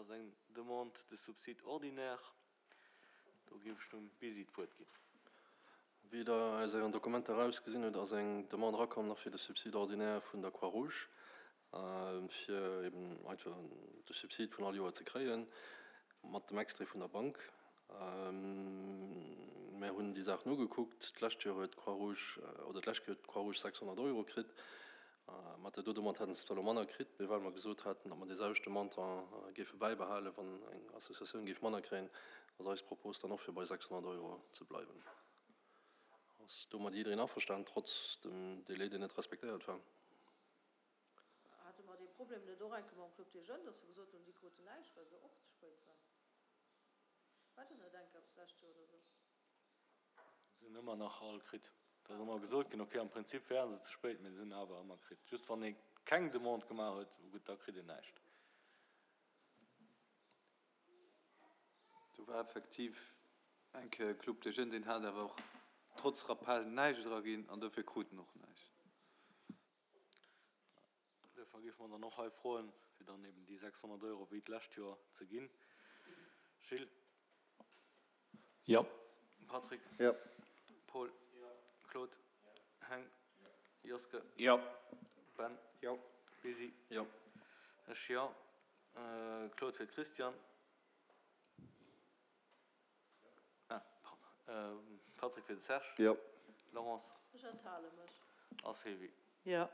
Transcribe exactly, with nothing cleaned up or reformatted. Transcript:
Dat ass eng Demande de subside ordinaire. Do géif ech dem Bisi d'Wuert ginn. Wéi Der aus Ären Dokumenter erausgesinn hutt, ass eng Demande erakomm nach fir de Subside ordinaire vun der Croix-Rouge, fir eben einfach de Subsid vun all Joer ze kréien, mat dem Extrait vun der Bank. Mär hunn déi Saachen ugekuckt. D'lescht Joer huet d'Croix-Rouge, oder d'lescht Kéier huet d'Croix-Rouge sechshonnert Euro kritt. Mat där do Demande hätte se zwar elo manner kritt, mee well mer gesot haten, datt mer dee selwechte Montant géife bäibehalen, wann eng Associatioun géif manner kréien, ass eis Propos dann och fir bei sechshonnert Euro ze bleiwen. Ass domat jiddereen averstanen, trotz dem Délai, deen net respektéiert war? Hate mer dee Problem net och eng Kéier mam Club des Jeunes, datt se gesot hunn, déi kruten näischt, well se och ze spéit waren? War do net eng Kéier eppes d'lescht Joer oder esou? Se hunn ëmmer nach all kritt. Et ass ëmmer gesot ginn, okay, am Prinzip wären se ze spéit, mee se hunn awer ëmmer kritt. Just wann ee keng Demande gemaach huet, gutt, da kritt een näischt. Do war effektiv eng Kéier e Club des Jeunes, deen hat awer och trotz Rappel näischt eraginn an dofir krut en och näischt. Duerfir géife mer dann och hei froen, fir dann eben déi sechshonnert Euro wéi d'lescht Joer ze ginn. Gilles? Jo. Patrick? Jo. Paul? Jo. Claude? Jo. Heng? Jo. Joske? Jo. Ben? Jo. Lisi? Jo. Ech jo. Claude fir d'Christiane. Ah, pardon. Patrick fir de Serge. Jo. Laurence? Ech enthale mech. A Sylvie? Jo.